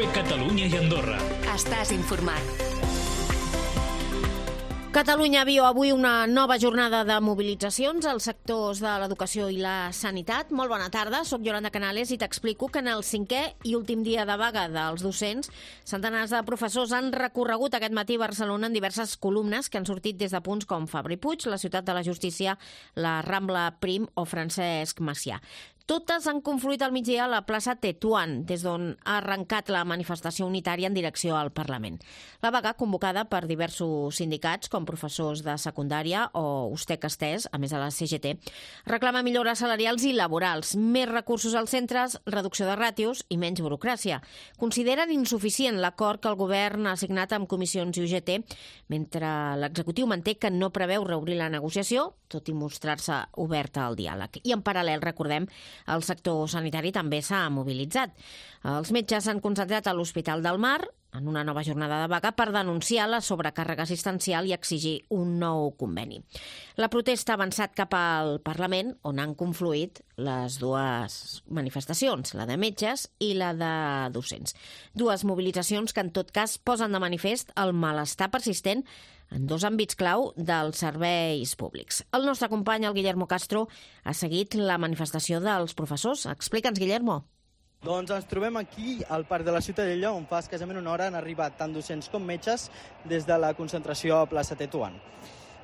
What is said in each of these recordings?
COPE Catalunya i Andorra. Estàs informat. Catalunya viu avui una nova jornada de mobilitzacions als sectors de l'educació i la sanitat. Molt bona tarda, soc Yolanda Canales i t'explico que en el 5è i últim dia de vaga dels docents, centenars de professors han recorregut aquest matí a Barcelona en diverses columnes que han sortit des de punts com Fabra i Puig, la Ciutat de la Justícia, la Rambla Prim o Francesc Macià. Totes han confluït al migdia a la plaça Tetuan, des d'on ha arrencat la manifestació unitària en direcció al Parlament. La vaga, convocada per diversos sindicats, com professors de secundària o USTEC Estès, a més de la CGT, reclama millores salarials i laborals, més recursos als centres, reducció de ràtios i menys burocràcia. Consideren insuficient l'acord que el govern ha signat amb comissions i UGT, mentre l'executiu manté que no preveu reobrir la negociació, tot i mostrar-se oberta al diàleg. I en paral·lel, recordem, el sector sanitari també s'ha mobilitzat. Els metges s'han concentrat a l'Hospital del Mar en una nova jornada de vaga per denunciar la sobrecàrrega assistencial i exigir un nou conveni. La protesta ha avançat cap al Parlament, on han confluït les dues manifestacions, la de metges i la de docents. Dues mobilitzacions que en tot cas posen de manifest el malestar persistent en dos àmbits clau dels serveis públics. El nostre company, el Guillermo Castro, ha seguit la manifestació dels professors. Explica'ns, Guillermo. Doncs ens trobem aquí, al Parc de la Ciutadella, on fa escassament una hora han arribat tant docents com metges des de la concentració a plaça Tetuan.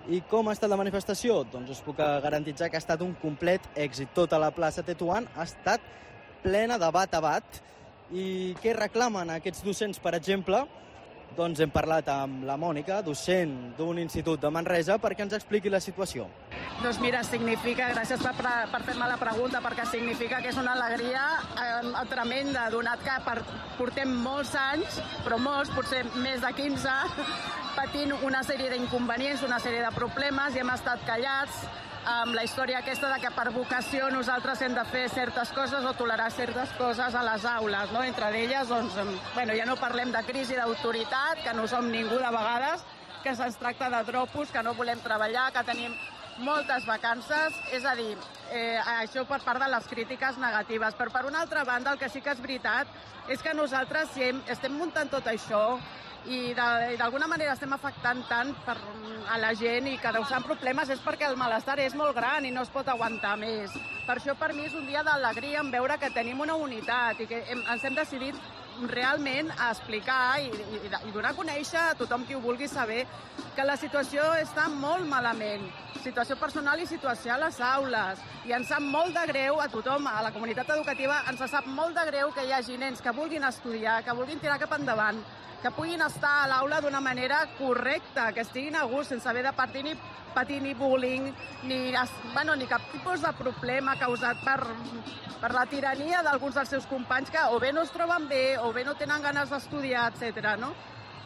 I com ha estat la manifestació? Doncs us puc garantitzar que ha estat un complet èxit. Tota la plaça Tetuan ha estat plena de bat a bat. I què reclamen aquests docents, per exemple? Doncs hem parlat amb la Mònica, docent d'un institut de Manresa, perquè ens expliqui la situació. Doncs mira, significa, gràcies per fer-me la pregunta, perquè significa que és una alegria tremenda, donat que portem molts anys, però molts, potser més de 15, patint una sèrie d'inconvenients, una sèrie de problemes, i hem estat callats amb la història aquesta de que per vocació nosaltres hem de fer certes coses o tolerar certes coses a les aules, no? Entre elles, doncs, ja no parlem de crisi d'autoritat, que no som ningú de vegades, que se'ns tracta de dropos, que no volem treballar, que tenim moltes vacances, és a dir, això per part de les crítiques negatives. Però per una altra banda, el que sí que és veritat és que nosaltres estem muntant tot això i d'alguna manera estem afectant tant a la gent i causant problemes és perquè el malestar és molt gran i no es pot aguantar més. Per això per mi és un dia d'alegria en veure que tenim una unitat i que ens hem decidit realment a explicar i donar a conèixer a tothom qui ho vulgui saber que la situació està molt malament, situació personal i situació a les aules, i ens sap molt de greu a tothom, a la comunitat educativa ens sap molt de greu que hi hagi nens que vulguin estudiar, que vulguin tirar cap endavant, que puguin estar a l'aula d'una manera correcta, que estiguin a gust, sense haver de patir ni bullying, ni cap tipus de problema causat per la tirania d'alguns dels seus companys que o bé no es troben bé, o bé no tenen ganes d'estudiar, etc. No?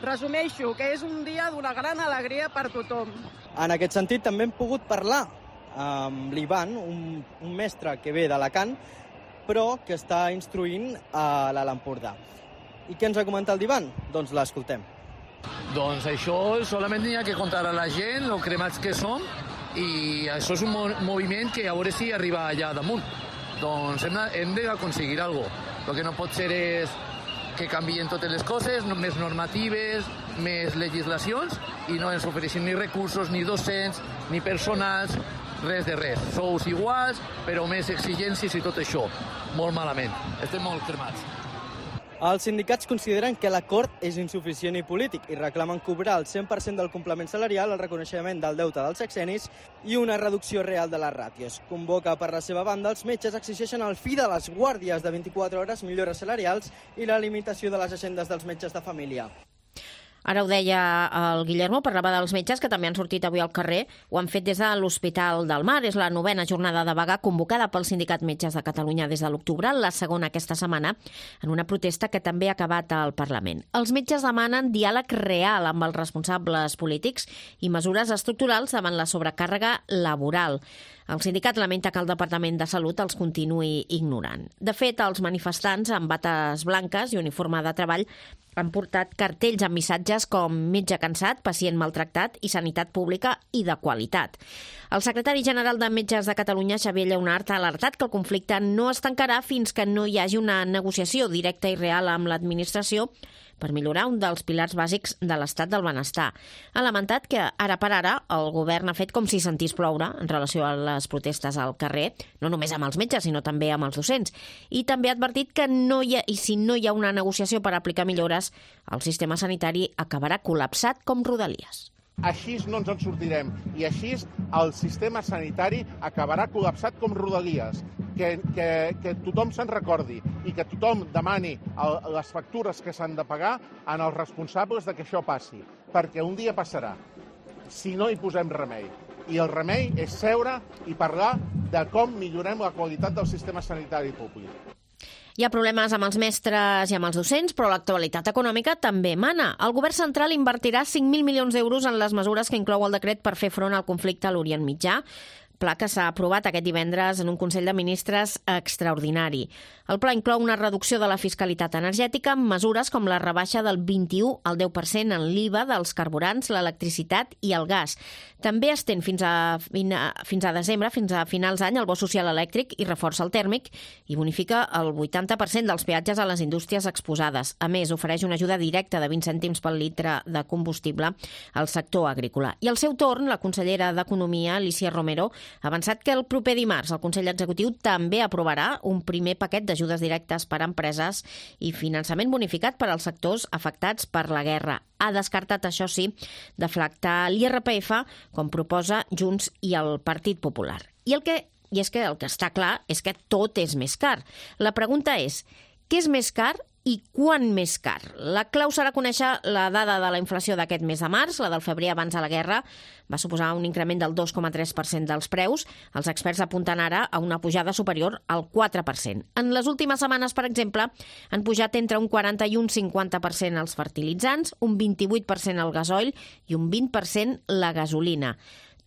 Resumeixo, que és un dia d'una gran alegria per tothom. En aquest sentit, també hem pogut parlar amb l'Ivan, un mestre que ve d'Alacant, però que està instruint a l'Alt Empordà. I què ens ha comentat l'Ivan? Doncs l'escoltem. Doncs això solament hi ha que contar a la gent, el cremats que som, i això és un moviment que a veure si arriba allà damunt. Doncs hem d'aconseguir alguna cosa. El que no pot ser és que canvien totes les coses, més normatives, més legislacions, i no ens ofereixin ni recursos, ni docents, ni personals, res de res. Sous iguals, però més exigències i tot això. Molt malament. Estem molt cremats. Els sindicats consideren que l'acord és insuficient i polític i reclamen cobrar el 100% del complement salarial, el reconeixement del deute dels sexennis i una reducció real de les ràtios. Convoca per la seva banda, els metges exigeixen el fi de les guàrdies de 24 hores, millores salarials i la limitació de les agendes dels metges de família. Ara ho deia el Guillermo, parlava dels metges que també han sortit avui al carrer, ho han fet des de l'Hospital del Mar. És la 9a jornada de vaga convocada pel Sindicat Metges de Catalunya des de l'octubre, la segona aquesta setmana, en una protesta que també ha acabat al Parlament. Els metges demanen diàleg real amb els responsables polítics i mesures estructurals davant la sobrecàrrega laboral. El sindicat lamenta que el Departament de Salut els continuï ignorant. De fet, els manifestants amb bates blanques i uniforme de treball han portat cartells amb missatges com metge cansat, pacient maltractat i sanitat pública i de qualitat. El secretari general de Metges de Catalunya, Xavier Lleonart, ha alertat que el conflicte no es tancarà fins que no hi hagi una negociació directa i real amb l'administració per millorar un dels pilars bàsics de l'estat del benestar. Ha lamentat que ara per ara el govern ha fet com si sentís ploure en relació a les protestes al carrer, no només amb els metges, sinó també amb els docents. I també ha advertit que si no hi ha una negociació per aplicar millores, el sistema sanitari acabarà col·lapsat com Rodalies. Així no ens en sortirem i així el sistema sanitari acabarà col·lapsat com Rodalies. Que tothom se'n recordi i que tothom demani les factures que s'han de pagar als responsables de que això passi, perquè un dia passarà, si no hi posem remei. I el remei és seure i parlar de com millorem la qualitat del sistema sanitari públic. Hi ha problemes amb els mestres i amb els docents, però l'actualitat econòmica també mana. El govern central invertirà 5.000 milions d'euros en les mesures que inclou el decret per fer front al conflicte a l'Orient Mitjà, pla que s'ha aprovat aquest divendres en un Consell de Ministres extraordinari. El pla inclou una reducció de la fiscalitat energètica amb mesures com la rebaixa del 21 al 10% en l'IVA dels carburants, l'electricitat i el gas. També estén fins a desembre, fins a finals d'any, el bo social elèctric i reforça el tèrmic i bonifica el 80% dels peatges a les indústries exposades. A més, ofereix una ajuda directa de 20 cèntims pel litre de combustible al sector agrícola. I al seu torn, la consellera d'Economia, Alícia Romero, ha avançat que el proper dimarts el Consell Executiu també aprovarà un primer paquet d'ajudes directes per a empreses i finançament bonificat per als sectors afectats per la guerra. Ha descartat, això sí, deflactar l'IRPF, com proposa Junts i el Partit Popular. I és que el que està clar és que tot és més car. La pregunta és, què és més car i quan més car? La clau serà conèixer la dada de la inflació d'aquest mes de març. La del febrer abans de la guerra va suposar un increment del 2,3% dels preus. Els experts apunten ara a una pujada superior al 4%. En les últimes setmanes, per exemple, han pujat entre un 40 i un 50% els fertilitzants, un 28% el gasoil i un 20% la gasolina.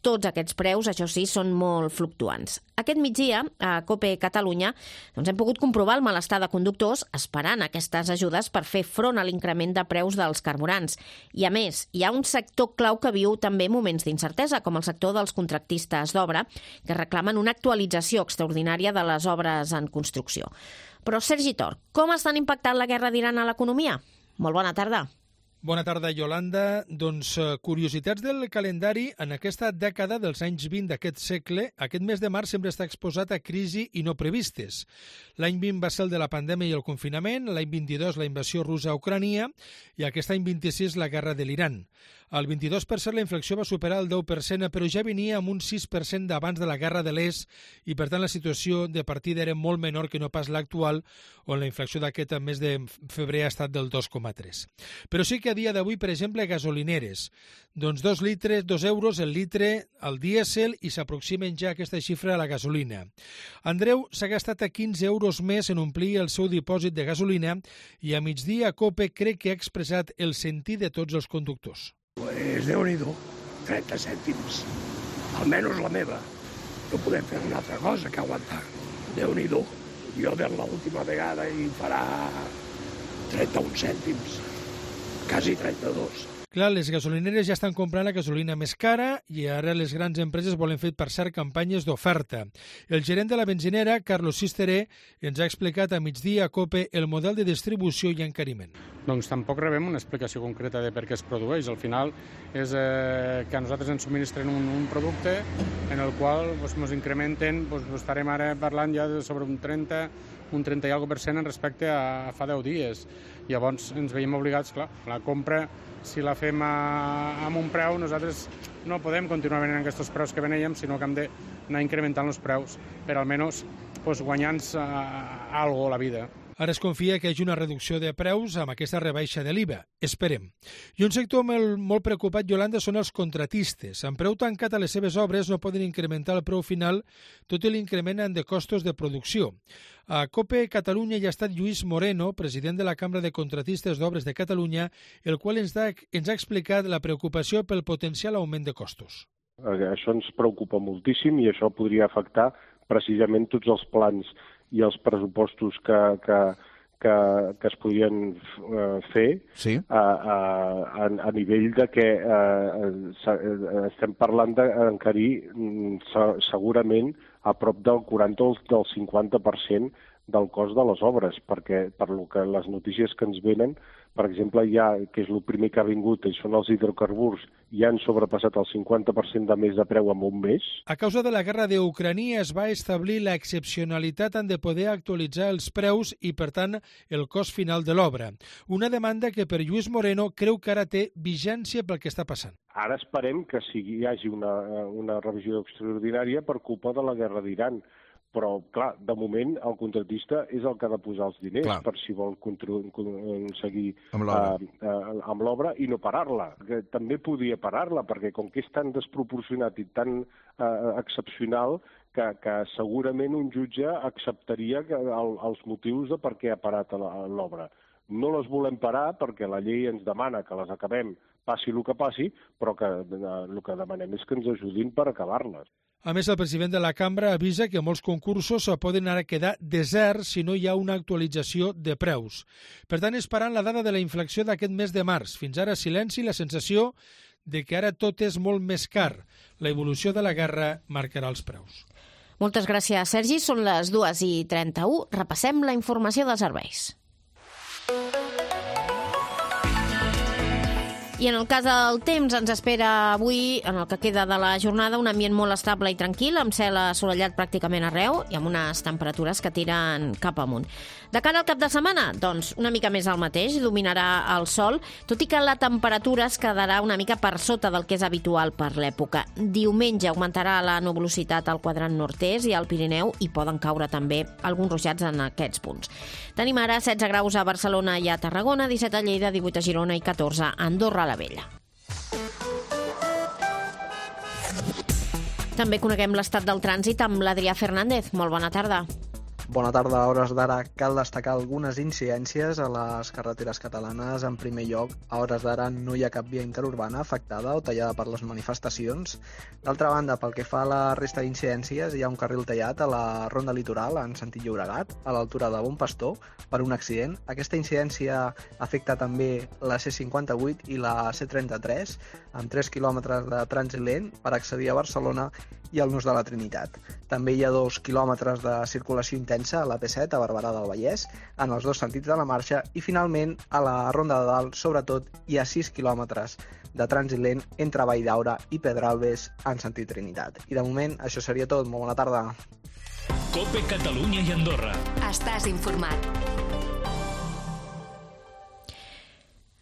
Tots aquests preus, això sí, són molt fluctuants. Aquest migdia, a COPE Catalunya, hem pogut comprovar el malestar de conductors esperant aquestes ajudes per fer front a l'increment de preus dels carburants. I a més, hi ha un sector clau que viu també moments d'incertesa, com el sector dels contractistes d'obra, que reclamen una actualització extraordinària de les obres en construcció. Però, Sergi Tor, com estan impactant la guerra d'Iran a l'economia? Molt bona tarda. Bona tarda, Yolanda. Doncs curiositats del calendari en aquesta dècada dels anys 20 d'aquest segle. Aquest mes de març sempre està exposat a crisi i no previstes. L'any 20 va ser el de la pandèmia i el confinament, l'any 22 la invasió russa a Ucrània i aquest any 26 la guerra de l'Iran. Al 22% la inflació va superar el 10%, però ja venia amb un 6% d'abans de la guerra de l'Est i, per tant, la situació de partida era molt menor que no pas l'actual, on la inflació d'aquest mes de febrer ha estat del 2,3%. Però sí que a dia d'avui, per exemple, gasolineres. Doncs 2 euros el litre al dièsel i s'aproximen ja aquesta xifra a la gasolina. Andreu s'ha gastat a 15 euros més en omplir el seu dipòsit de gasolina i a migdia COPE crec que ha expressat el sentir de tots els conductors. Pues Déu-n'hi-do, 30 cèntims, almenys la meva. No podem fer una altra cosa que aguantar. Déu-n'hi-do, jo de l'última vegada hi farà 31 cèntims, quasi 32. Clar, les gasolineres ja estan comprant la gasolina més cara i ara les grans empreses volen fer, per cert, campanyes d'oferta. El gerent de la benzinera, Carlos Sisteré, ens ha explicat a migdia a COPE el model de distribució i encariment. Doncs tampoc rebem una explicació concreta de per què es produeix. Al final és que a nosaltres ens subministren un producte en el qual ens incrementen, estarem ara parlant ja sobre un 30 i alguna % en respecte a fa 10 dies. Llavors ens veiem obligats, clar, la compra, si la fem amb un preu, nosaltres no podem continuar venent aquests preus que venèiem, sinó que hem d'anar incrementant els preus per almenys guanyar-nos alguna cosa a la vida. Ara es confia que hi hagi una reducció de preus amb aquesta rebaixa de l'IVA. Esperem. I un sector molt preocupat, Yolanda, són els contratistes. Amb preu tancat a les seves obres no poden incrementar el preu final, tot i l'increment de costos de producció. A COPE Catalunya hi ha estat Lluís Moreno, president de la Cambra de Contratistes d'Obres de Catalunya, el qual ens ha explicat la preocupació pel potencial augment de costos. Això ens preocupa moltíssim i això podria afectar precisament tots els plans i els pressupostos que es podrien fer a nivell de que estem parlant d'encarir segurament a prop del 40 o del 50% del cost de les obres, perquè per lo que les notícies que ens venen, per exemple, que és el primer que ha vingut, i són els hidrocarburs, ja han sobrepassat el 50% de més de preu en un mes. A causa de la guerra d'Ucrània es va establir l'excepcionalitat en de poder actualitzar els preus i, per tant, el cost final de l'obra. Una demanda que per Lluís Moreno creu que ara té vigència pel que està passant. Ara esperem que hi hagi una revisió extraordinària per culpa de la guerra d'Iran. Però, clar, de moment el contractista és el que ha de posar els diners per si vol seguir amb l'obra i no parar-la. També podria parar-la, perquè com que és tan desproporcionat i tan excepcional que segurament un jutge acceptaria els motius de per què ha parat l'obra. No les volem parar perquè la llei ens demana que les acabem, passi el que passi, però el que demanem és que ens ajudin per acabar-les. A més, el president de la cambra avisa que molts concursos poden ara quedar deserts si no hi ha una actualització de preus. Per tant, esperant la data de la inflexió d'aquest mes de març. Fins ara, silenci i la sensació de que ara tot és molt més car. La evolució de la guerra marcarà els preus. Moltes gràcies, Sergi. Són les 2:31. Repassem la informació dels serveis. I en el cas del temps ens espera avui, en el que queda de la jornada, un ambient molt estable i tranquil, amb cel assolellat pràcticament arreu i amb unes temperatures que tiren cap amunt. De cara al cap de setmana, doncs, una mica més al mateix, dominarà el sol, tot i que la temperatura es quedarà una mica per sota del que és habitual per l'època. Diumenge augmentarà la nuvolositat al quadrant nord-est i al Pirineu i poden caure també alguns ruixats en aquests punts. Tenim ara 16 graus a Barcelona i a Tarragona, 17 a Lleida, 18 a Girona i 14 a Andorra la Vella. També coneguem l'estat del trànsit amb l'Adrià Fernández. Molt bona tarda. Bona tarda. A hores d'ara cal destacar algunes incidències a les carreteres catalanes. En primer lloc, a hores d'ara no hi ha cap via interurbana afectada o tallada per les manifestacions. D'altra banda, pel que fa a la resta d'incidències, hi ha un carril tallat a la Ronda Litoral en sentit Llobregat, a l'altura de Bon Pastor, per un accident. Aquesta incidència afecta també la C58 i la C33, amb 3 quilòmetres de trànsit lent per accedir a Barcelona i al Nus de la Trinitat. També hi ha 2 quilòmetres de circulació intensa a la P7 a Barberà del Vallès, en els dos sentits de la marxa, i finalment a la Ronda de Dalt, sobretot, hi ha 6 quilòmetres de trànsit lent entre Valldaura i Pedralbes en sentit Trinitat. I de moment això seria tot. Molt bona tarda. COPE Catalunya i Andorra. Estàs informat.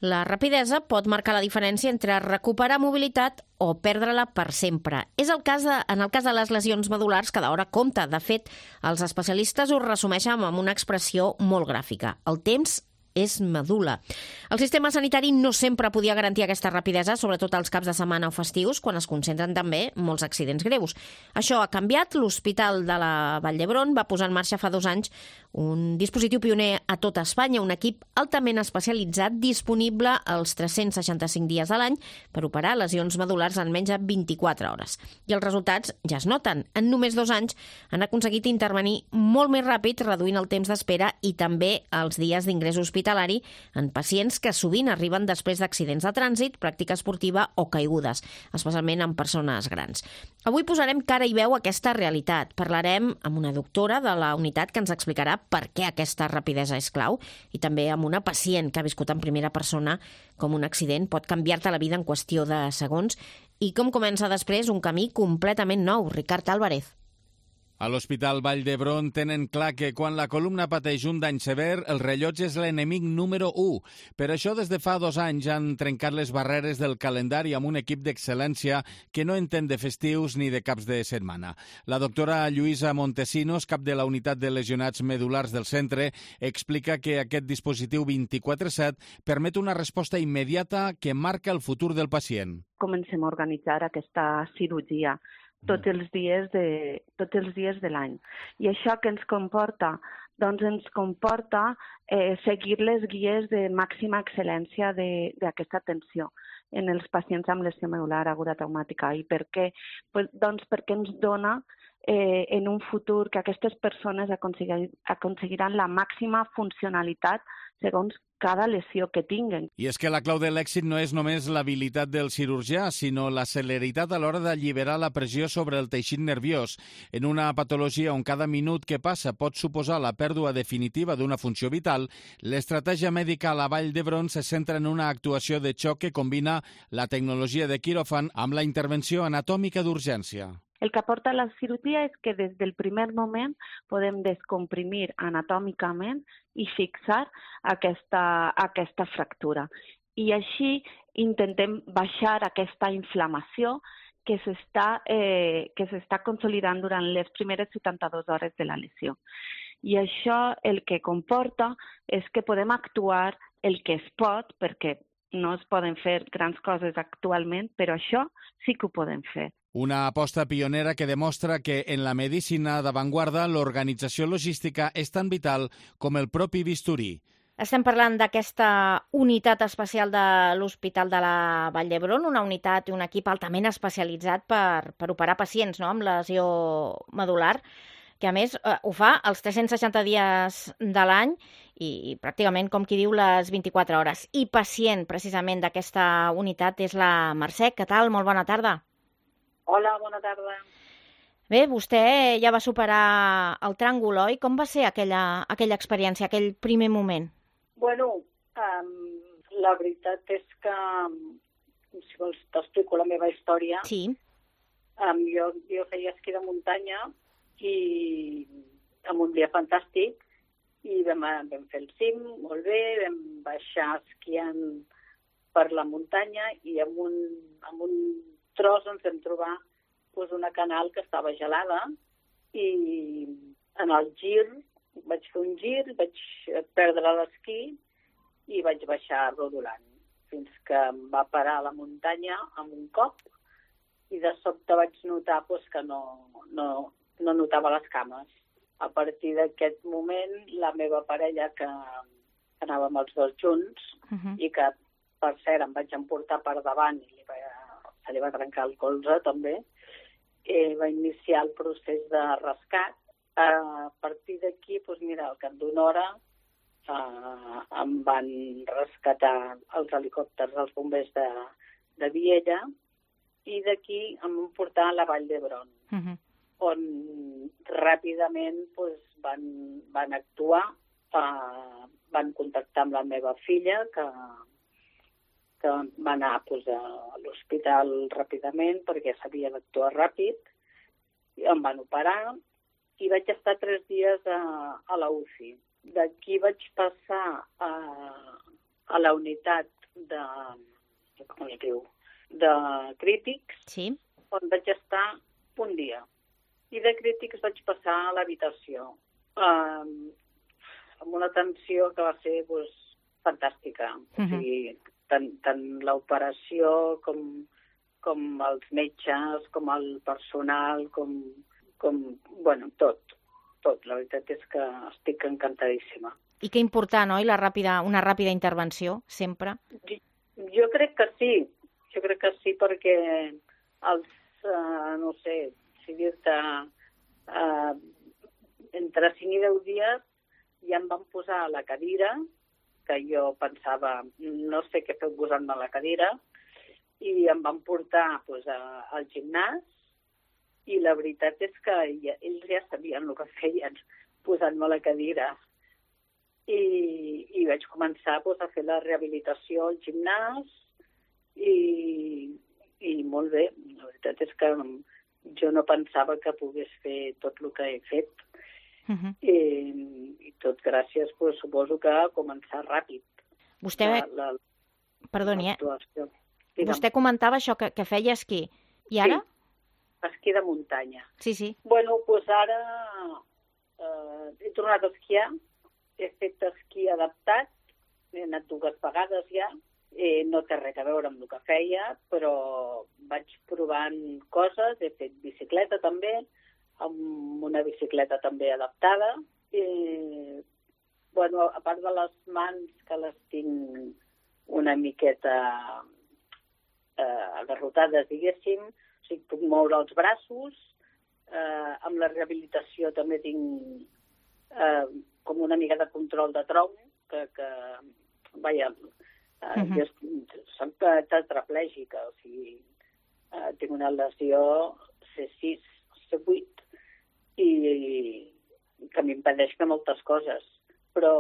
La rapidesa pot marcar la diferència entre recuperar mobilitat o perdre-la per sempre. És en el cas de les lesions medulars cada hora compta. De fet, els especialistes ho resumeixen amb una expressió molt gràfica. El temps és medul·la. El sistema sanitari no sempre podia garantir aquesta rapidesa, sobretot als caps de setmana o festius, quan es concentren també molts accidents greus. Això ha canviat. L'Hospital de la Vall d'Hebron va posar en marxa fa 2 anys un dispositiu pioner a tota Espanya, un equip altament especialitzat disponible els 365 dies a l'any per operar lesions medulars en menys de 24 hores. I els resultats ja es noten. En només 2 anys han aconseguit intervenir molt més ràpid, reduint el temps d'espera i també els dies d'ingrés hospitalari en pacients que sovint arriben després d'accidents de trànsit, pràctica esportiva o caigudes, especialment en persones grans. Avui posarem cara i veu a aquesta realitat. Parlarem amb una doctora de la unitat que ens explicarà per què aquesta rapidesa és clau i també amb una pacient que ha viscut en primera persona com un accident pot canviar-te la vida en qüestió de segons i com comença després un camí completament nou. Ricard Álvarez. A l'Hospital Vall d'Hebron tenen clar que quan la columna pateix un dany sever, el rellotge és l'enemic número 1. Per això, des de fa 2 anys han trencat les barreres del calendari amb un equip d'excel·lència que no entén de festius ni de caps de setmana. La doctora Lluïsa Montesinos, cap de la unitat de lesionats medulars del centre, explica que aquest dispositiu 24/7 permet una resposta immediata que marca el futur del pacient. Comencem a organitzar aquesta cirurgia tots els dies de l'any. I això què ens comporta? Doncs ens comporta seguir les guies de màxima excel·lència d'aquesta atenció. en els pacients amb lesió medul·lar aguda traumàtica. I per què? Doncs perquè ens dona en un futur que aquestes persones aconseguiran la màxima funcionalitat segons cada lesió que tinguen. I és que la clau de l'èxit no és només l'habilitat del cirurgià, sinó la celeritat a l'hora d'alliberar la pressió sobre el teixit nerviós. En una patologia on cada minut que passa pot suposar la pèrdua definitiva d'una funció vital, l'estratègia mèdica a la Vall d'Hebron se centra en una actuació de xoc que combina la tecnologia de quiròfan amb la intervenció anatòmica d'urgència. El que aporta la cirurgia és que des del primer moment podem descomprimir anatòmicament i fixar aquesta fractura. I així intentem baixar aquesta inflamació que s'està consolidant durant les primeres 72 hores de la lesió. I això el que comporta és que podem actuar el que es pot, perquè no es poden fer grans coses actualment, però això sí que ho podem fer. Una aposta pionera que demostra que en la medicina d'avantguarda l'organització logística és tan vital com el propi bisturí. Estem parlant d'aquesta unitat especial de l'Hospital de la Vall d'Hebron, una unitat i un equip altament especialitzat per operar pacients amb lesió medul·lar, que a més ho fa els 360 dies de l'any i pràcticament, com qui diu, les 24 hores. I pacient, precisament, d'aquesta unitat és la Mercè. Què tal? Molt bona tarda. Hola, bona tarda. Bé, vostè ja va superar el tràngol, oi? Com va ser aquella experiència, aquell primer moment? Bueno, la veritat és que, si vols, t'explico la meva història. Sí. Jo feia esquí de muntanya i amb un dia fantàstic i vam fer el cim, molt bé, vam baixar esquiant per la muntanya i amb un tros ens vam trobar una canal que estava gelada i en el gir vaig fer un gir, vaig perdre l'esquí i vaig baixar rodolant fins que em va parar a la muntanya amb un cop i de sobte vaig notar que no notava les cames. A partir d'aquest moment la meva parella, que anàvem els dos junts i que per cert em vaig emportar per davant i se li va trencar el colze també, va iniciar el procés de rescat. A partir d'aquí, al cap d'una hora, em van rescatar els helicòpters dels bombers de Viella i d'aquí em van portar a la Vall d'Hebron, on ràpidament van actuar, van contactar amb la meva filla, que va anar a l'hospital ràpidament perquè s'havia d'actuar ràpid, i em van operar i vaig estar 3 dies a la UCI. D'aquí vaig passar a la unitat de crítics, on vaig estar un dia. I de crítics vaig passar a l'habitació, amb una atenció que va ser fantàstica. O sigui, tant l'operació com els metges, com el personal, com tot. La veritat és que estic encantadíssima. I que important, oi? Una ràpida intervenció, sempre? Jo crec que sí, perquè no sé, si dir-te, entre 5 i 10 dies ja em van posar a la cadira, que jo pensava, no sé què fer posant-me a la cadira, i em van portar al gimnàs, i la veritat és que ells ja sabien el que feien posant-me a la cadira. I vaig començar a fer la rehabilitació al gimnàs, i molt bé. La veritat és que jo no pensava que pogués fer tot el que he fet. I tot gràcies, suposo que a començar ràpid. Vostè, perdoni, vostè comentava això, que feia esquí. I ara? Sí, esquí de muntanya. Sí. Bueno, ara he tornat a esquiar, he fet esquí adaptat, he anat 2 vegades ja, no té res a veure amb el que feia, però vaig provant coses, he fet bicicleta també, amb una bicicleta també adaptada. A part de les mans, que les tinc una miqueta agarrotades, diguéssim, o sigui, puc moure els braços, amb la rehabilitació també tinc com una mica de control de tronc, que vaja, jo soc tetraplègica, o sigui, tinc una lesió C6, C8, i que m'impedeix fer moltes coses, però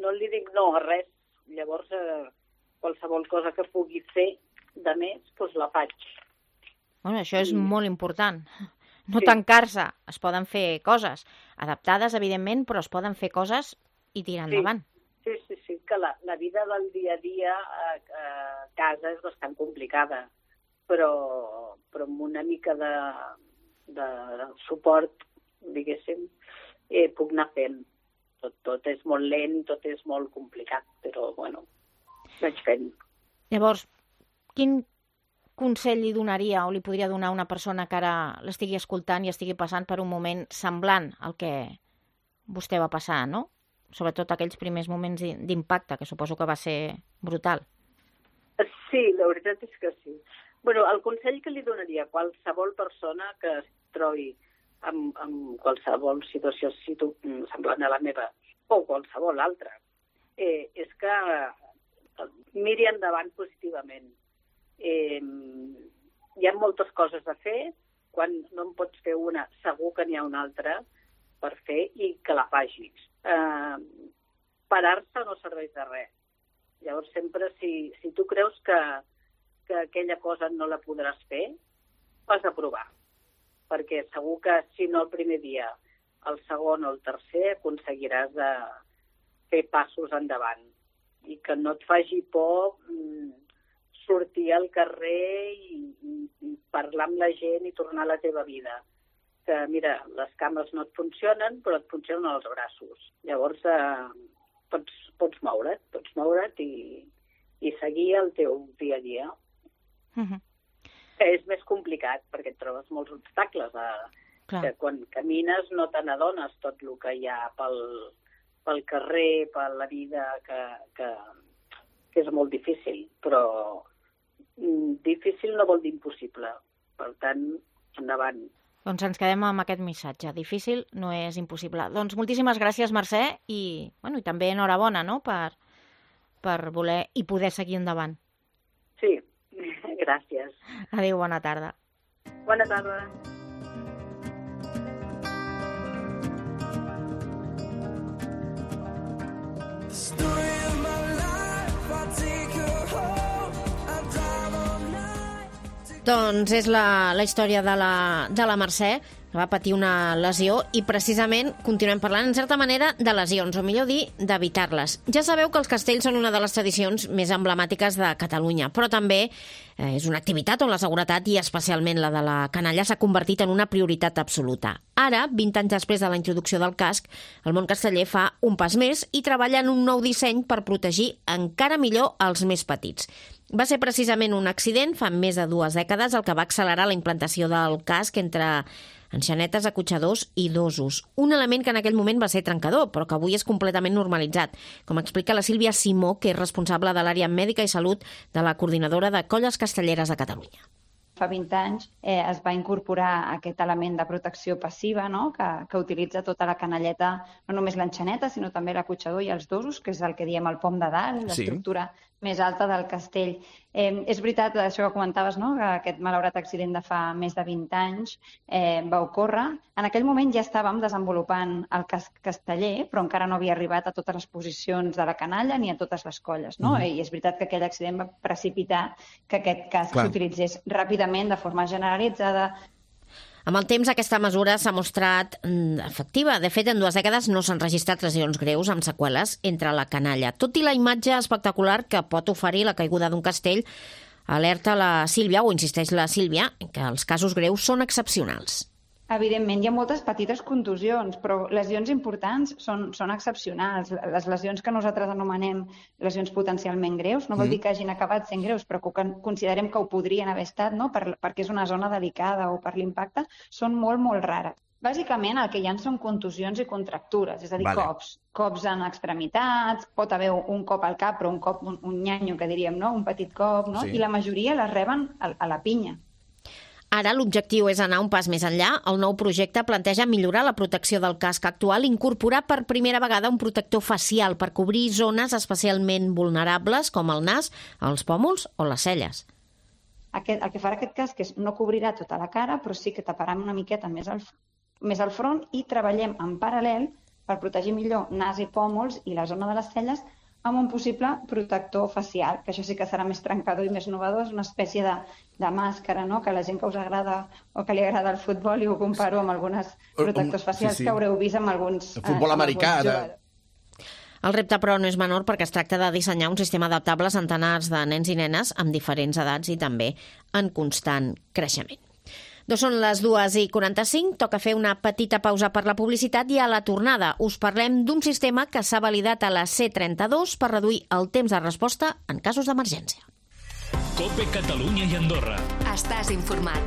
no li dic no a res. Llavors, qualsevol cosa que pugui fer de més, doncs la faig. Bueno, això és molt important. No tancar-se. Es poden fer coses adaptades, evidentment, però es poden fer coses i tirar endavant. Sí, que la vida del dia a dia a casa és bastant complicada, però amb una mica de suport, diguéssim, puc anar fent. Tot és molt lent, tot és molt complicat, però, bueno, vaig fent. Llavors, quin consell li donaria o li podria donar a una persona que ara l'estigui escoltant i estigui passant per un moment semblant al que vostè va passar, no? Sobretot aquells primers moments d'impacte, que suposo que va ser brutal. Sí, la veritat és que sí. Bueno, el consell que li donaria a qualsevol persona que es trobi en qualsevol situació semblant a la meva o qualsevol altra, és que miri endavant positivament. Hi ha moltes coses a fer, quan no en pots fer una, segur que n'hi ha una altra per fer i que la facis. Parar-se no serveix de res. Llavors sempre, si tu creus que aquella cosa no la podràs fer, has de provar. Perquè segur que si no el primer dia, el segon o el tercer, aconseguiràs de fer passos endavant. I que no et faci por sortir al carrer i parlar amb la gent i tornar a la teva vida. Que, mira, les cames no et funcionen, però et funcionen els braços. Llavors pots moure't i seguir el teu dia a dia. És més complicat perquè et trobes molts obstacles. Que quan camines no te n'adones tot el que hi ha pel carrer, per la vida, que és molt difícil. Però difícil no vol dir impossible. Per tant, endavant. Doncs ens quedem amb aquest missatge. Difícil no és impossible. Doncs moltíssimes gràcies, Mercè, i també enhorabona, no?, per voler i poder seguir endavant. Sí, gràcies. Adéu, bona tarda. Bona tarda. Doncs és la història de la Mercè, que va patir una lesió, i precisament continuem parlant, en certa manera, de lesions, o millor dir, d'evitar-les. Ja sabeu que els castells són una de les tradicions més emblemàtiques de Catalunya, però també és una activitat on la seguretat, i especialment la de la canalla, s'ha convertit en una prioritat absoluta. Ara, 20 anys després de la introducció del casc, el món casteller fa un pas més i treballa en un nou disseny per protegir encara millor els més petits. Va ser precisament un accident fa més de 2 dècades el que va accelerar la implantació del casc entre enxanetes, acotxadors i dosos. Un element que en aquell moment va ser trencador, però que avui és completament normalitzat, com explica la Sílvia Simó, que és responsable de l'àrea mèdica i salut de la Coordinadora de Colles Castelleres de Catalunya. Fa 20 anys es va incorporar aquest element de protecció passiva, no?, que utilitza tota la canalleta, no només l'enxaneta, sinó també l'acotxador i els dosos, que és el que diem el pom de dalt, l'estructura més alta del castell. És veritat, això que comentaves, no?, que aquest malaurat accident de fa més de 20 anys va ocórrer. En aquell moment ja estàvem desenvolupant el casc casteller, però encara no havia arribat a totes les posicions de la canalla ni a totes les colles, no? I és veritat que aquell accident va precipitar que aquest casc s'utilitzés ràpidament, de forma generalitzada. Amb el temps, aquesta mesura s'ha mostrat efectiva. De fet, en 2 dècades no s'han registrat lesions greus amb seqüeles entre la canalla. Tot i la imatge espectacular que pot oferir la caiguda d'un castell, alerta la Sílvia, o insisteix la Sílvia, que els casos greus són excepcionals. Evidentment, hi ha moltes petites contusions, però lesions importants són excepcionals. Les lesions que nosaltres anomenem lesions potencialment greus, no vol dir que hagin acabat sent greus, però que considerem que ho podrien haver estat, no?, perquè és una zona delicada o per l'impacte, són molt, molt rares. Bàsicament el que hi ha són contusions i contractures, és a dir, cops en extremitats, pot haver un cop al cap, però un cop, un nyanyo que diríem, no? Un petit cop, no? I la majoria les reben a la pinya. Ara l'objectiu és anar un pas més enllà. El nou projecte planteja millorar la protecció del casc actual i incorporar per primera vegada un protector facial per cobrir zones especialment vulnerables com el nas, els pòmuls o les celles. El que farà aquest casc és no cobrirà tota la cara, però sí que taparà una miqueta més al front i treballem en paral·lel per protegir millor nas i pòmuls i la zona de les celles amb un possible protector facial, que això sí que serà més trencador i més innovador, és una espècie de màscara, no? Que a la gent que us agrada o que li agrada el futbol, i ho comparo amb alguns protectors facials que haureu vist amb alguns el futbol americà, El repte, però, no és menor perquè es tracta de dissenyar un sistema adaptable a centenars de nens i nenes amb diferents edats i també en constant creixement. Són les 2:45, toca fer una petita pausa per la publicitat i a la tornada us parlem d'un sistema que s'ha validat a la C32 per reduir el temps de resposta en casos d'emergència. COPE Catalunya i Andorra. Estàs informat.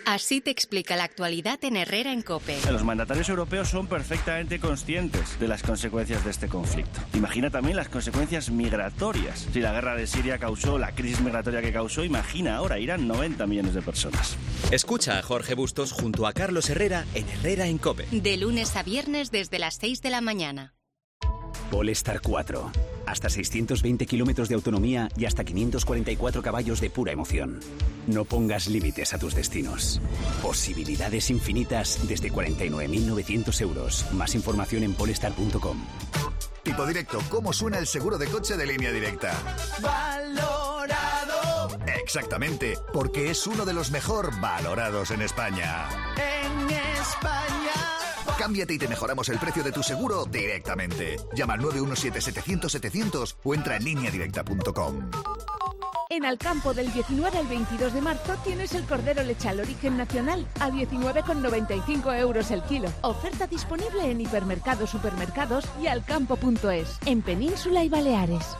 Así te explica la actualidad en Herrera en COPE. Los mandatarios europeos son perfectamente conscientes de las consecuencias de este conflicto. Imagina también las consecuencias migratorias. Si la guerra de Siria causó la crisis migratoria que causó, imagina ahora, irán 90 millones de personas. Escucha a Jorge Bustos junto a Carlos Herrera en Herrera en COPE. De lunes a viernes desde las 6 de la mañana. Polestar 4. Hasta 620 kilómetros de autonomía y hasta 544 caballos de pura emoción. No pongas límites a tus destinos. Posibilidades infinitas desde 49.900 euros. Más información en polestar.com. Tipo Directo, ¿cómo suena el seguro de coche de Línea Directa? ¡Valorado! Exactamente, porque es uno de los mejor valorados en España. En España. Cámbiate y te mejoramos el precio de tu seguro directamente. Llama al 917-700-700 o entra en lineadirecta.com. En Alcampo del 19 al 22 de marzo tienes el cordero lechal origen nacional a 19,95 euros el kilo. Oferta disponible en hipermercados, supermercados y alcampo.es, en Península y Baleares.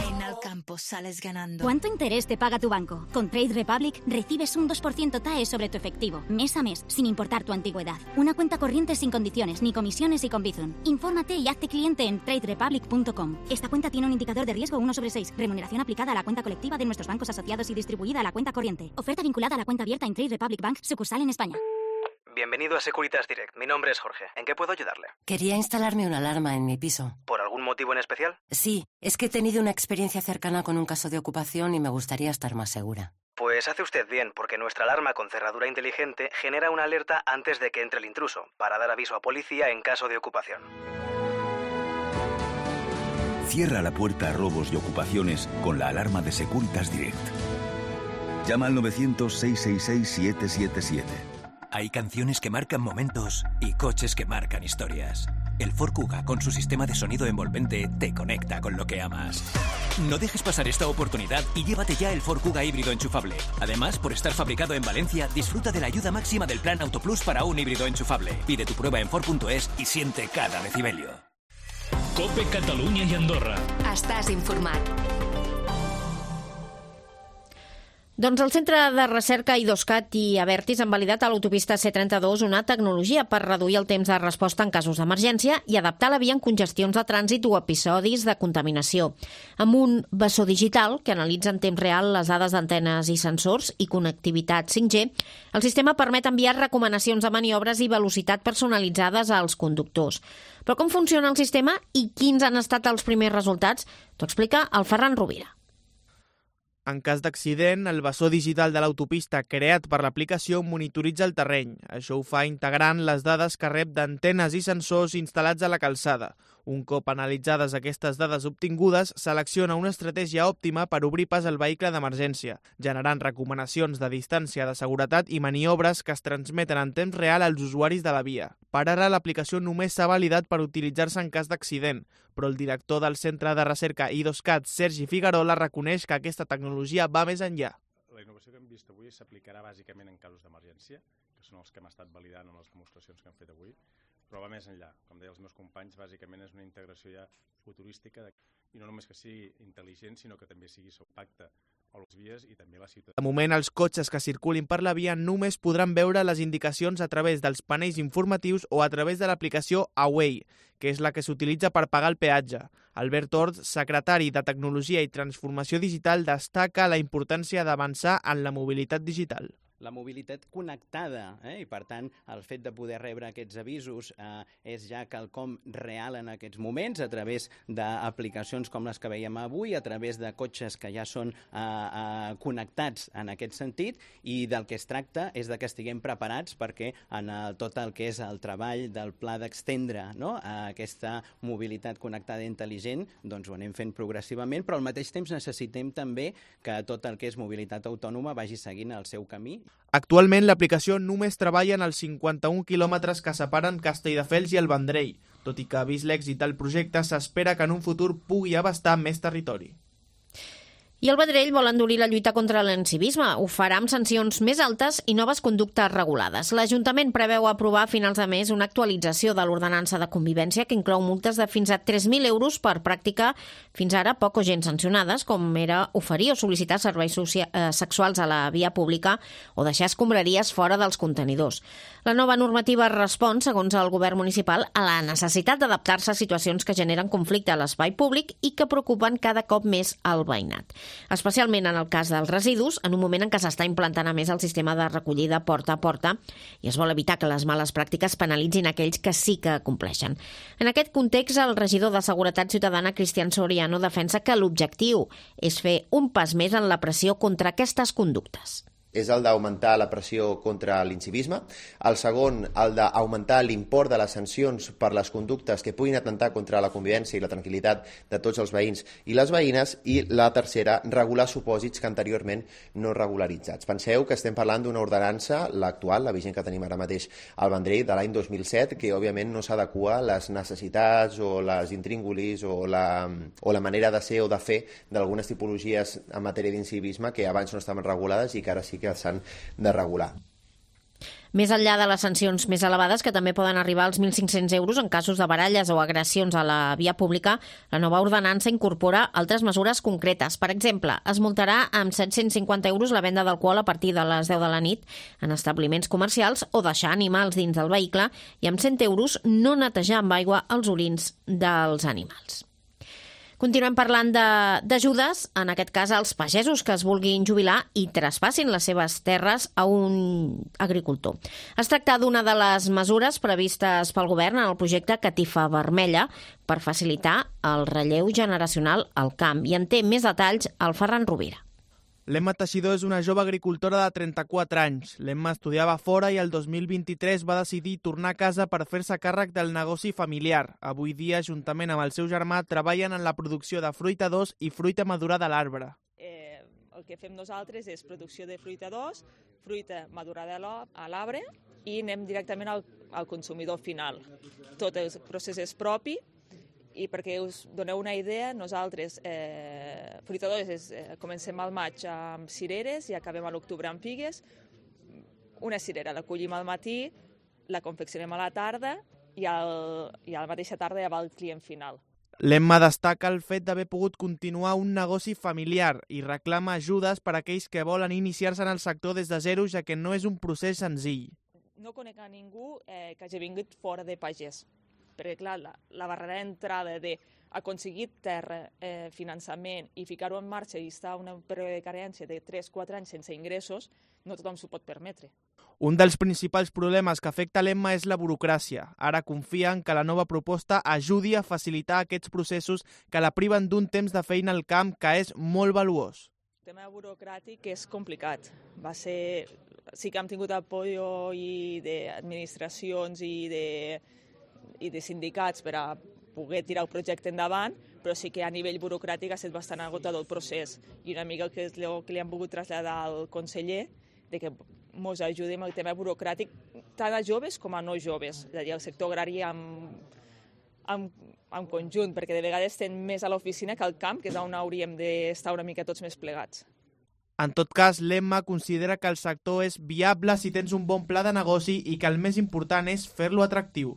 En Alcampo sales ganando. ¿Cuánto interés te paga tu banco? Con Trade Republic recibes un 2% TAE sobre tu efectivo, mes a mes, sin importar tu antigüedad. Una cuenta corriente sin condiciones, ni comisiones y con Bizum. Infórmate y hazte cliente en traderepublic.com. Esta cuenta tiene un indicador de riesgo 1/6. Remuneración aplicada a la cuenta colectiva de nuestros bancos asociados y distribuida a la cuenta corriente. Oferta vinculada a la cuenta abierta en Trade Republic Bank, sucursal en España. Bienvenido a Securitas Direct. Mi nombre es Jorge. ¿En qué puedo ayudarle? Quería instalarme una alarma en mi piso. ¿Por algún motivo en especial? Sí, es que he tenido una experiencia cercana con un caso de ocupación y me gustaría estar más segura. Pues hace usted bien, porque nuestra alarma con cerradura inteligente genera una alerta antes de que entre el intruso, para dar aviso a policía en caso de ocupación. Cierra la puerta a robos y ocupaciones con la alarma de Securitas Direct. Llama al 900-666-777. Hay canciones que marcan momentos y coches que marcan historias. El Ford Kuga, con su sistema de sonido envolvente, te conecta con lo que amas. No dejes pasar esta oportunidad y llévate ya el Ford Kuga híbrido enchufable. Además, por estar fabricado en Valencia, disfruta de la ayuda máxima del Plan Autoplus para un híbrido enchufable. Pide tu prueba en Ford.es y siente cada decibelio. COPE Catalunya i Andorra. Estàs informat. Doncs el Centre de Recerca IDOSCAT i Abertis han validat a l'autopista C32 una tecnologia per reduir el temps de resposta en casos d'emergència i adaptar la via en congestions de trànsit o episodis de contaminació. Amb un bessó digital que analitza en temps real les dades d'antenes i sensors i connectivitat 5G, el sistema permet enviar recomanacions de maniobres i velocitat personalitzades als conductors. Però com funciona el sistema i quins han estat els primers resultats? T'ho explica el Ferran Rovira. En cas d'accident, el bessó digital de l'autopista creat per l'aplicació monitoritza el terreny. Això ho fa integrant les dades que rep d'antenes i sensors instal·lats a la calçada. Un cop analitzades aquestes dades obtingudes, selecciona una estratègia òptima per obrir pas al vehicle d'emergència, generant recomanacions de distància de seguretat i maniobres que es transmeten en temps real als usuaris de la via. Per ara, l'aplicació només s'ha validat per utilitzar-se en cas d'accident, però el director del Centre de Recerca IDOSCAT, Sergi Figuerola, reconeix que aquesta tecnologia va més enllà. La innovació que hem vist avui s'aplicarà bàsicament en casos d'emergència, que són els que hem estat validant en les demostracions que hem fet avui, però va més enllà. Com deia els meus companys, bàsicament és una integració ja futurística i no només que sigui intel·ligent, sinó que també sigui sous pacte De moment, els cotxes que circulin per la via només podran veure les indicacions a través dels panells informatius o a través de l'aplicació Away, que és la que s'utilitza per pagar el peatge. Albert Orts, secretari de Tecnologia i Transformació Digital, destaca la importància d'avançar en la mobilitat digital. La mobilitat connectada, i per tant el fet de poder rebre aquests avisos és ja quelcom real en aquests moments a través d'aplicacions com les que veiem avui, a través de cotxes que ja són connectats en aquest sentit, i del que es tracta és de que estiguem preparats perquè en tot el que és el treball del pla d'extendre aquesta mobilitat connectada i intel·ligent, doncs ho anem fent progressivament, però al mateix temps necessitem també que tot el que és mobilitat autònoma vagi seguint el seu camí. Actualment, l'aplicació només treballa en els 51 quilòmetres que separen Castelldefels i el Vendrell, tot i que, vist l'èxit del projecte, s'espera que en un futur pugui abastar més territori. I el Vendrell vol endurir la lluita contra l'encivisme. Ho farà amb sancions més altes i noves conductes regulades. L'Ajuntament preveu aprovar a finals de mes una actualització de l'ordenança de convivència que inclou multes de fins a 3.000 euros per pràctica fins ara poc o gens sancionades, com era oferir o sol·licitar serveis sexuals a la via pública o deixar escombraries fora dels contenidors. La nova normativa respon, segons el govern municipal, a la necessitat d'adaptar-se a situacions que generen conflicte a l'espai públic i que preocupen cada cop més el veïnat. Especialment en el cas dels residus, en un moment en què s'està implantant a més el sistema de recollida porta a porta i es vol evitar que les males pràctiques penalitzin aquells que sí que compleixen. En aquest context, el regidor de Seguretat Ciutadana, Cristian Soriano, defensa que l'objectiu és fer un pas més en la pressió contra aquestes conductes. És el d'augmentar la pressió contra l'incivisme. El segon, el d'augmentar l'import de les sancions per les conductes que puguin atentar contra la convivència i la tranquil·litat de tots els veïns i les veïnes. I la tercera, regular supòsits que anteriorment no regularitzats. Penseu que estem parlant d'una ordenança, l'actual, la vigent que tenim ara mateix al Vendrell, de l'any 2007, que òbviament no s'adequa a les necessitats o les intríngulis o la manera de ser o de fer d'algunes tipologies en matèria d'incivisme que abans no estaven regulades i que ara sí que s'han de regular. Més enllà de les sancions més elevades, que també poden arribar als 1.500 euros en casos de baralles o agressions a la via pública, la nova ordenança incorpora altres mesures concretes. Per exemple, es multarà amb 750 euros la venda d'alcohol a partir de les 10 de la nit en establiments comercials o deixar animals dins del vehicle i amb 100 euros no netejar amb aigua els orins dels animals. Continuem parlant d'ajudes, en aquest cas als pagesos que es vulguin jubilar i traspassin les seves terres a un agricultor. Es tracta d'una de les mesures previstes pel govern en el projecte Catifa Vermella per facilitar el relleu generacional al camp. I en té més detalls el Ferran Rovira. L'Emma Teixidor és una jove agricultora de 34 anys. L'Emma estudiava fora i el 2023 va decidir tornar a casa per fer-se càrrec del negoci familiar. Avui dia, juntament amb el seu germà, treballen en la producció de fruita d'os i fruita madurada a l'arbre. El que fem nosaltres és producció de fruita d'os, fruita madurada a l'arbre i anem directament al consumidor final. Tot el procés és propi. I perquè us doneu una idea, nosaltres, fruita d'os, comencem al maig amb cireres i acabem a l'octubre amb figues. Una cirera la collim al matí, la confeccionem a la tarda i a la mateixa tarda ja va al client final. L'Emma destaca el fet d'haver pogut continuar un negoci familiar i reclama ajudes per a aquells que volen iniciar-se en el sector des de zero, ja que no és un procés senzill. No conec a ningú que hagi vingut fora de pagès. Perquè, clar, la barrera d'entrada d'aconseguir terra, finançament i ficar-ho en marxa i estar en un període de carència de 3-4 anys sense ingressos, no tothom s'ho pot permetre. Un dels principals problemes que afecta l'Emma és la burocràcia. Ara confien que la nova proposta ajudi a facilitar aquests processos que la priven d'un temps de feina al camp que és molt valuós. El tema burocràtic és complicat. Sí que hem tingut apoyo d'administracions i de sindicats per a poder tirar el projecte endavant, però sí que a nivell burocràtic ha estat bastant agotador el procés. I una mica el que li hem volgut traslladar al conseller, de que ens ajudi amb el tema burocràtic, tant a joves com a no joves, és a dir, el sector agrari en conjunt, perquè de vegades estem més a l'oficina que al camp, que és on hauríem d'estar una mica tots més plegats. En tot cas, l'Emma considera que el sector és viable si tens un bon pla de negoci i que el més important és fer-lo atractiu.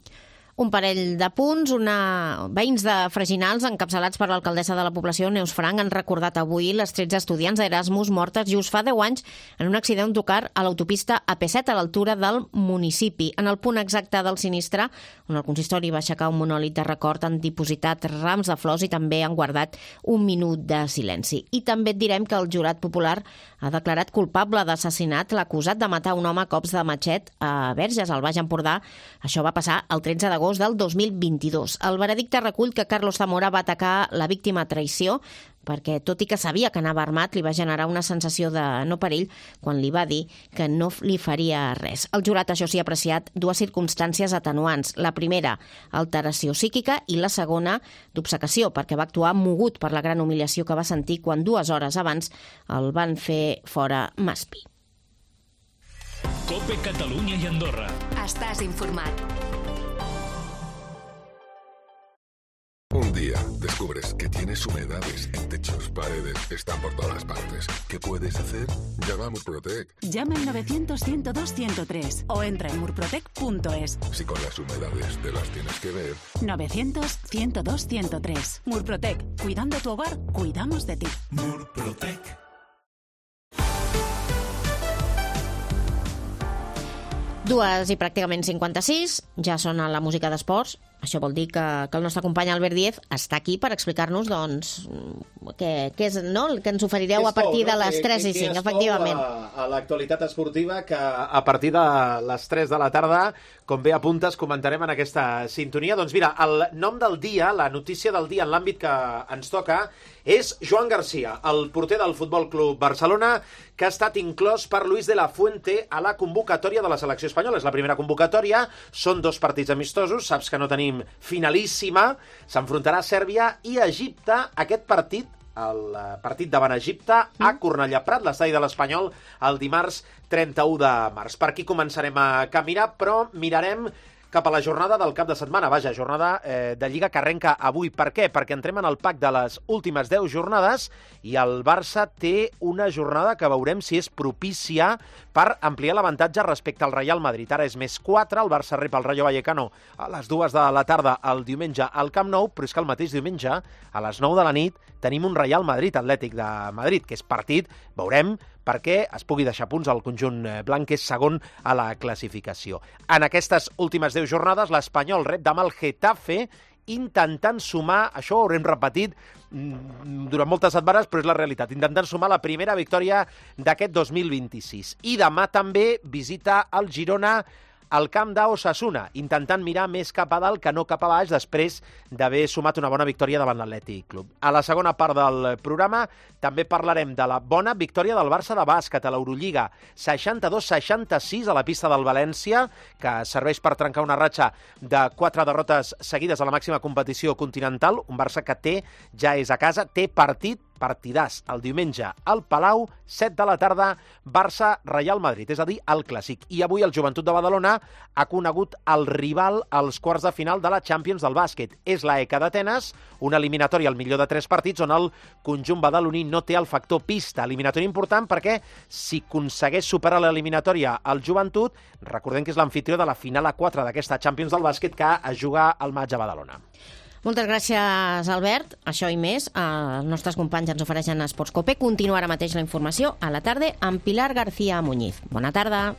Un parell de punts, veïns de Freginals, encapçalats per l'alcaldessa de la població, Neus Frank, han recordat avui les 13 estudiants d'Erasmus mortes just fa 10 anys en un accident tocar a l'autopista AP7 a l'altura del municipi. En el punt exacte del sinistre, on el consistori va aixecar un monòlit de record, han dipositat rams de flors i també han guardat un minut de silenci. I també et direm que el jurat popular ha declarat culpable d'assassinat l'acusat de matar un home a cops de matxet a Verges, al Baix Empordà. Això va passar el 13 d'agost del 2022. El veredicte recull que Carlos Zamora va atacar la víctima a traïció perquè, tot i que sabia que anava armat, li va generar una sensació de no perill quan li va dir que no li faria res. El jurat, això sí, ha apreciat dues circumstàncies atenuants. La primera, alteració psíquica, i la segona, d'obcecació, perquè va actuar mogut per la gran humiliació que va sentir quan 2 hores abans el van fer fora Maspi. COPE Catalunya i Andorra. Estàs informat. Un día descubres que tienes humedades en techos, paredes, están por todas partes. ¿Qué puedes hacer? Llama a Murprotec. Llama al 900-102-103 o entra en murprotec.es. Si con las humedades te las tienes que ver. 900-102-103. Murprotec. Cuidando tu hogar, cuidamos de ti. Murprotec. 2 i pràcticament 56, ja sona la música d'esports. Això vol dir que el nostre company Albert Díez està aquí per explicar-nos què és, no? El que ens oferireu a partir de les 3 i 5, efectivament. A l'actualitat esportiva, que a partir de les 3 de la tarda, com bé apuntes, comentarem en aquesta sintonia. Doncs mira, el nom del dia, la notícia del dia en l'àmbit que ens toca, és Joan García, el porter del Futbol Club Barcelona, que ha estat inclòs per Luis de la Fuente a la convocatòria de la selecció espanyola. És la primera convocatòria, són 2 partits amistosos, saps que no tenim finalíssima, s'enfrontarà a Sèrbia i a Egipte. Aquest partit, el partit davant Egipte, a Cornellà Prat, l'estadi de l'Espanyol, el dimarts 31 de març. Per aquí començarem a caminar, però mirarem cap a la jornada del cap de setmana. Vaja, jornada de Lliga que arrenca avui. Per què? Perquè entrem en el pack de les últimes 10 jornades i el Barça té una jornada que veurem si és propícia per ampliar l'avantatge respecte al Real Madrid. Ara és més 4, el Barça rep el Rayo Vallecano a les 2 de la tarda el diumenge al Camp Nou, però és que el mateix diumenge, a les 9 de la nit, tenim un Real Madrid Atlètic de Madrid, que és partit, veurem, perquè es pugui deixar punts al conjunt blanc, que és segon a la classificació. En aquestes últimes 10 jornades, l'Espanyol rep demà el Getafe, intentant sumar, això ho haurem repetit durant moltes setmanes, però és la realitat, intentant sumar la primera victòria d'aquest 2026. I demà també visita el Girona al camp d'Osasuna, intentant mirar més cap a dalt que no cap a baix, després d'haver sumat una bona victòria davant l'Atlètic Club. A la segona part del programa també parlarem de la bona victòria del Barça de bàsquet a l'Eurolliga, 62-66 a la pista del València, que serveix per trencar una ratxa de 4 derrotes seguides a la màxima competició continental. Un Barça que ja és a casa, té partidàs el diumenge al Palau, 7 de la tarda, Barça-Real Madrid, és a dir, el clàssic. I avui el Joventut de Badalona ha conegut el rival als quarts de final de la Champions del bàsquet. És la ECA d'Atenes, una eliminatòria al millor de 3 partits on el conjunt badaloní no té el factor pista. Eliminatòria important perquè si aconsegueix superar l'eliminatòria al Joventut, recordem que és l'amfitrió de la final A4 d'aquesta Champions del bàsquet que es juga al maig a Badalona. Moltes gràcies, Albert. Això i més, els nostres companys ens ofereixen a Esports Cope. Continua ara mateix la informació a la tarda amb Pilar García Muñiz. Bona tarda.